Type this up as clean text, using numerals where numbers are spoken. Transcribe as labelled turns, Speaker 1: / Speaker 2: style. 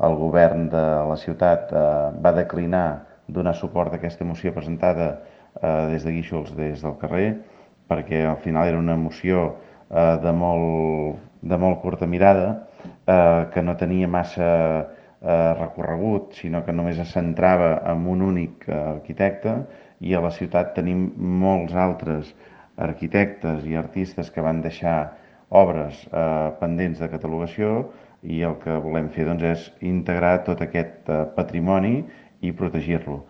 Speaker 1: el govern de la ciutat va declinar donar suport a aquesta moció presentada des de Guíxols, des del carrer, perquè al final era una moció de molt curta mirada, que no tenia massa recorregut, sinó que només es centrava en un únic arquitecte, i a la ciutat tenim molts altres arquitectes i artistes que van deixar obres pendents de catalogació, i el que volem fer doncs, és integrar tot aquest patrimoni i protegir-lo.